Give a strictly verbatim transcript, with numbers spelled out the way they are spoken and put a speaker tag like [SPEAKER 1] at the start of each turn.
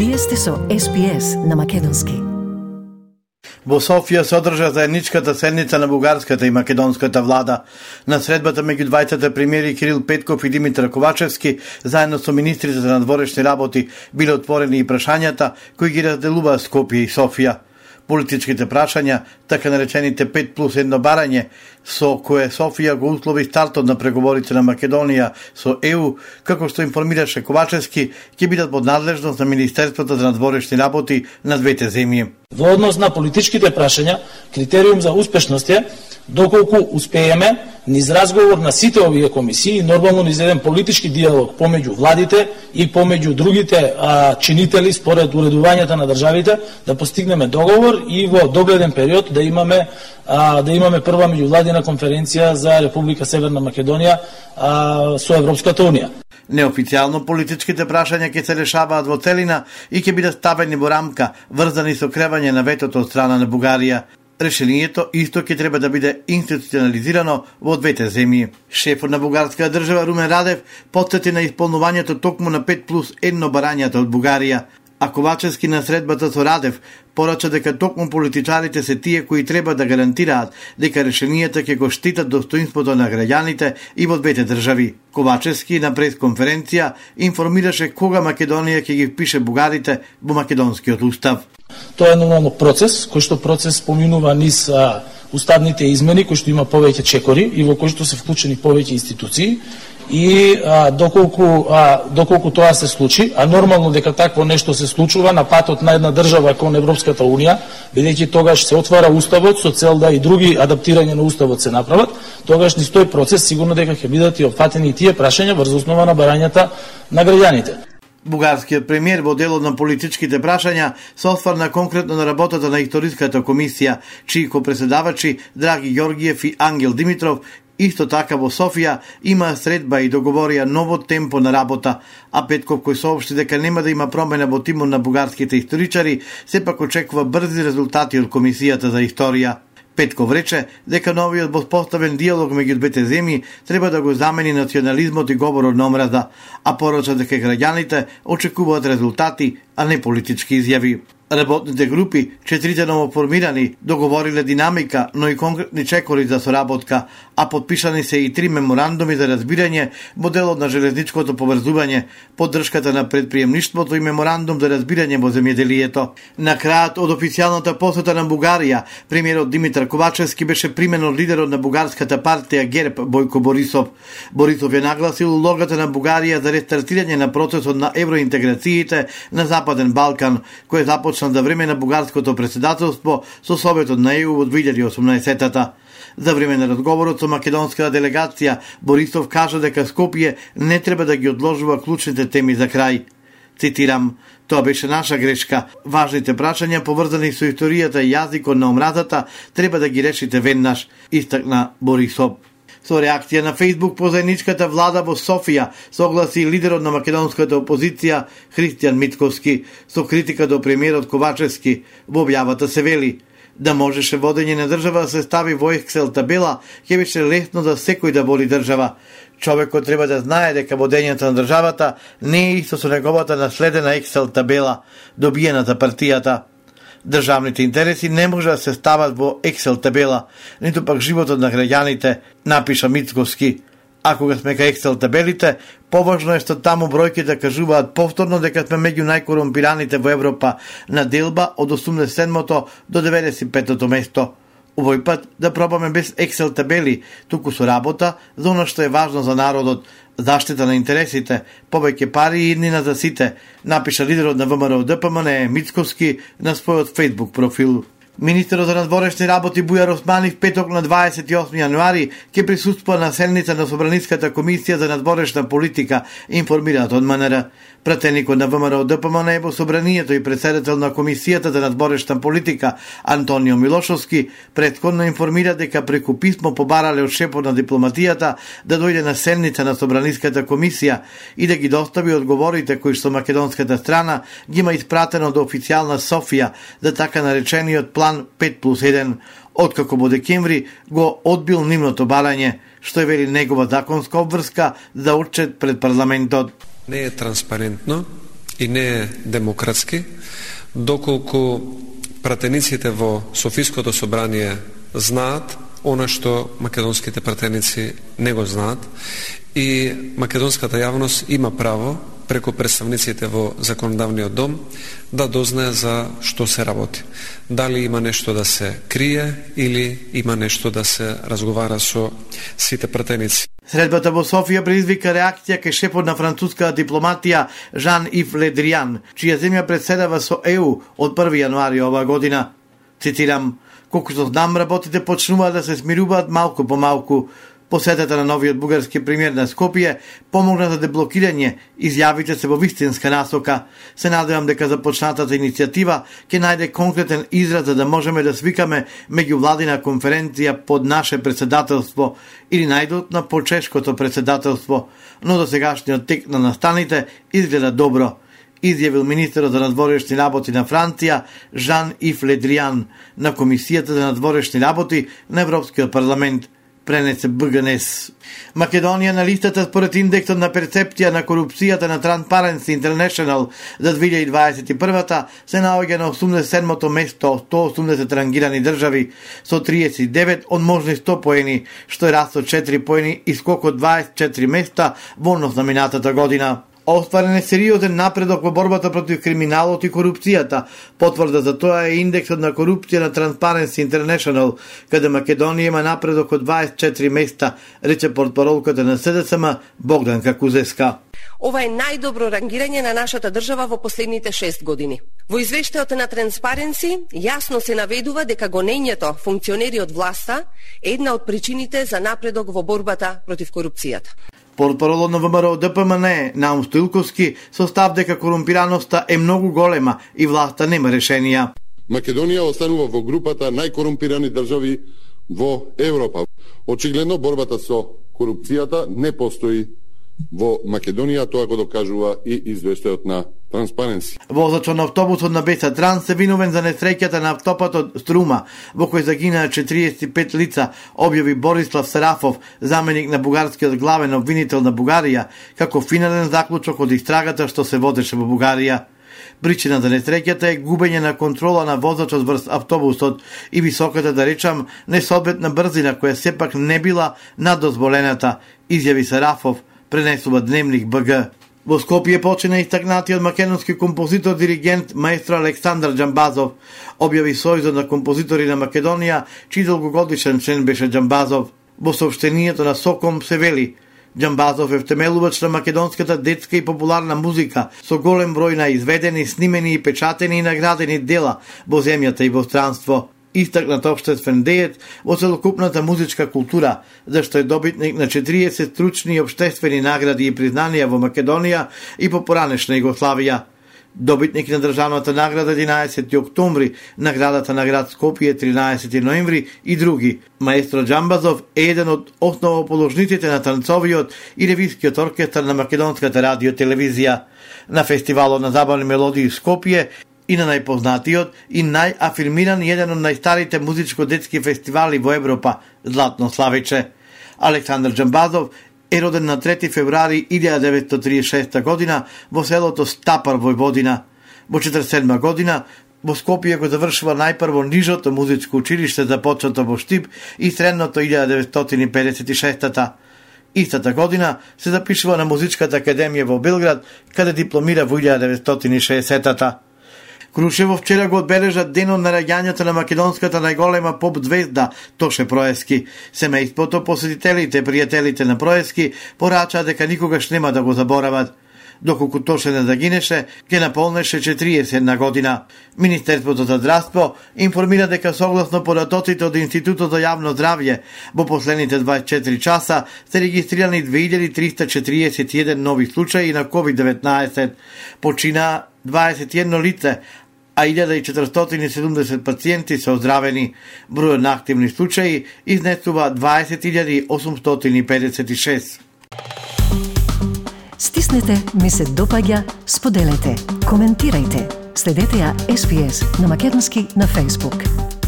[SPEAKER 1] Вие сте со Ес Би Ес на македонски.
[SPEAKER 2] Во Софија се одржа заедничката седница на бугарската и македонската влада. На средбата меѓу двајцата премиери Кирил Петков и Димитар Ковачевски, заедно со министрите за надворешни работи, биле отворени и прашањата кои ги разделува Скопје и Софија. Политичките прашања, така наречените пет плюс едно барање, со кое Софија го услови стартот на преговорите на Македонија со Е У, како што информираше Ковачевски, ќе бидат под надлежност на Министерството за надворешни работи на двете земји.
[SPEAKER 3] Во однос на политичките прашања, критериум за успешност е доколку успееме низ разговор на сите овие комисии, нормално низ еден политички диалог помеѓу владите и помеѓу другите а, чинители според уредувањата на државите, да постигнеме договор и во догледен период да имаме а, да имаме прва меѓувладина конференција за Република Северна Македонија а, со Европската унија.
[SPEAKER 2] Неофицијално политичките прашања ќе се решаваат во целина и ќе бидат ставени во рамка, врзани со кревање на ветото од страна на Бугарија. Решението исто ќе треба да биде институционализирано во двете земји. Шефот на бугарската држава Румен Радев потсети на исполнувањето токму на пет плюс едно барањата од Бугарија, а Ковачевски на средбата со Радев порача дека токму политичарите се тие кои треба да гарантираат дека решенијата ќе го штитат достоинството на граѓаните и во двете држави. Ковачевски на пресконференција информираше кога Македонија ќе ги впише бугарите во македонскиот устав.
[SPEAKER 3] Тоа е нормално процес, кој што процес поминува низ а, уставните измени, кој што има повеќе чекори и во кој што се вклучени повеќе институции. И а, доколку, а, доколку тоа се случи, а нормално дека такво нешто се случува на патот на една држава кон Европската унија, бидејќи тогаш се отвара уставот со цел да и други адаптирања на уставот се направат, тогаш низ тој процес сигурно дека ќе бидат и опфатени и тие прашања врз основа на барањата на граѓаните.
[SPEAKER 2] Бугарскиот премиер во делот на политичките прашања се осврна конкретно на работата на историската комисија, чии ко-преседавачи Драги Ѓоргиев и Ангел Димитров исто така во Софија има средба и договорија ново темпо на работа, а Петков кој соопшти дека нема да има промена во тимот на бугарските историчари, сепак очекува брзи резултати од Комисијата за историја. Петков рече дека новиот воспоставен диалог меѓу двете земји треба да го замени национализмот и говорот на омраза, а порача дека граѓаните очекуваат резултати, а не политички изјави. Работните групи, четирите новоформирани, договориле динамика, но и конкретни чекори за соработка, а подпишани се и три меморандуми за разбирање во делот на железничкото поврзување, поддршката на предприемништвото и меморандум за разбирање во земјоделието. На крајот од официјалната посета на Бугарија, премиерот Димитар Ковачевски беше примен од лидерот на бугарската партија ГЕРБ Бојко Борисов. Борисов ја нагласил улогата на Бугарија за рестартирање на процесот на евроинтеграциите на Западен Балкан, кој започна за време на бугарското председателство со Советот на Е У во две илјади и осумнаесетта. За време на разговорот со македонската делегација, Борисов кажа дека Скопје не треба да ги одложува клучните теми за крај. Цитирам: "Тоа беше наша грешка. Важните прашања поврзани со историјата и јазикот на омразата треба да ги решите веднаш", истакна Борисов. Со реакција на Фејсбук по заедничката влада во Софија согласи лидерот на македонската опозиција Христијан Мицковски со критика до премиерот Ковачевски. Во објавата се вели: "Да можеше водење на држава да се стави во Excel табела, ќе беше лесно за секој да води држава. Човекот треба да знае дека водењето на државата не е исто со неговата наследена Excel табела, добиена за партијата. Државните интереси не може да се стават во Excel табела, ниту пак животот на граѓаните", напиша Мицковски. А кога сме кај Excel табелите, поважно е што таму бројките кажуваат повторно дека сме меѓу најкорумпираните во Европа на делба од осумдесет и седмото до деветдесет и петото место. Овој пат да пробаме без Excel табели, туку со работа за оно што е важно за народот, заштита на интересите, повеќе пари и иднина за сите, напиша лидерот на Вэ Ем Р Д П М Н Мицковски на својот Facebook профил. Министерот за надворешни работи Бујар Османи в петок на дваесет и осми јануари ќе присуствува на седница на Собраниската комисија за надворешна политика, информираат од М Н Р. Пратеникот на Вэ Ем Р Д П М Н во Собранието и председател на Комисијата за надворешна политика Антонио Милошовски претходно информира дека преку писмо побарале од шефот на дипломатијата да дојде на седница на Собраниската комисија и да ги достави одговорите кои што македонската страна ги има испратено до официјална Софија за така наречениот план пет плюс еден, откако во декември го одбил нивното барање, што е вели негова законска обврска за отчет пред парламентот.
[SPEAKER 4] Не е транспарентно и не е демократски, доколку пратениците во Софиското собрание знаат она што македонските пратеници не го знаат, и македонската јавност има право преку представниците во законодавниот дом да дознае за што се работи. Дали има нешто да се крие или има нешто да се разговара со сите пратеници.
[SPEAKER 2] Средбата во Софија предизвика реакција кај шефот на француската дипломатија Жан-Ив Ле Дриан, чија земја председава со Е У од први јануари оваа година. Цитирам: "Колку знам, работите почнуваат да се смируваат малку по малку." Посетата на новиот бугарски премиер на Скопје помогна за деблокирање изјавите се во вистинска насока. Се надевам дека започнатата иницијатива ќе најде конкретен израз за да можеме да свикаме меѓувладина конференција под наше председателство или најдот на почешкото председателство, но до сегашниот тек на настаните изгледа добро, изјавил министерот за надворешни работи на Франција Жан-Ив Ле Дриан на Комисијата за надворешни работи на Европскиот парламент, пренесе Б Г Н С. Македонија на листата според индексот на перцепција на корупцијата на Transparency International за две илјади дваесет и прва се наоѓа на осумдесет и седмото место од сто осумдесет рангирани држави со триесет и девет од можни сто поени, што е раст од четири поени и скок од дваесет и четири места во однос на минатата година. Остварен е сериозен напредок во борбата против криминалот и корупцијата. Потврда за тоа е индексот на корупција на Transparency International, каде Македонија има напредок од дваесет и четири места, рече портпаролката на С Д С М Богданка Кузеска.
[SPEAKER 5] Ова е најдобро рангирање на нашата држава во последните шест години. Во извештајот на Transparency јасно се наведува дека гонењето функционери од власта е една од причините за напредок во борбата против корупцијата.
[SPEAKER 2] Портпаролот на В М Р О Д П М Н Е Наум Стоилковски со став дека корумпираноста е многу голема и власта нема решенија.
[SPEAKER 6] Македонија останува во групата најкорумпирани држави во Европа. Очигледно борбата со корупцијата не постои во Македонија, тоа го докажува и извештајот на Transparency.
[SPEAKER 2] Возачот на автобусот на Беса Транс се виновен за несреќата на автопатот Струма, во кој загинаа четириесет и пет лица, објави Борислав Сарафов, заменик на бугарскиот главен обвинител на Бугарија, како финален заклучок од истрагата што се водеше во Бугарија. Причина за несреќата е губење на контрола на возачот врз автобусот и високата, да речам, несоодветна брзина која сепак не била над дозволената, изјави Сарафов, пренесува Дневник Б Г. Во Скопје почина истакнатиот македонски композитор, диригент, маестро Александар Џамбазов, објави Сојузот на композитори на Македонија, чиј долгогодишен член беше Џамбазов. Во соопштението на Соком се вели: Џамбазов е втемелувач на македонската детска и популарна музика, со голем број на изведени, снимени и печатени и наградени дела во земјата и во странство. Истакнат општествен деец во целокупната музичка култура, зашто е добитник на четириесет стручни и општествени награди и признанија во Македонија и по поранешна Југославија. Добитник на државната награда единаесети октомври, наградата на град Скопје тринаесети ноември и други. Маестро Џамбазов е еден од основоположниците на танцовиот и ревискиот оркестар на македонската радио телевизија. На фестивалот на забавни мелодии Скопје и на најпознатиот и најафирмиран еден од најстарите музичко-детски фестивали во Европа, Златно славиче. Александар Џамбазов е роден на трети февруари илјада деветстотини триесет и шеста година во селото Стапар, Војводина. Во четиридесет и седма година во Скопје го завршува најпрво нижото музичко училиште започнато во Штип и средното илјада деветстотини педесет и шеста. Истата година се запишува на Музичката академија во Белград, каде дипломира во илјада деветстотини и шеесета. Крушево вчера го одбележа денот на раѓањето на македонската најголема поп звезда Тоше Проески. Семејството, посетителите, пријателите на Проески порачаа дека никогаш нема да го заборават. Доколку Тоше не загинеше, ќе наполнеше четириесет година. Министерството за здравство информира дека согласно податоците од Институтот за јавно здравје, во последните дваесет и четири часа се регистрирани две илјади триста четириесет и еден нови случаи на ковид деветнаесет. Почина дваесет и едно лице, а илјада четиристотини и седумдесет пациенти се оздравени. Бројот на активни случаи изнесува дваесет илјади осумстотини и педесет и шест.
[SPEAKER 1] Стиснете ми се допаѓа, споделете, коментирајте. Следете ја Ес Би Ес на македонски на Facebook.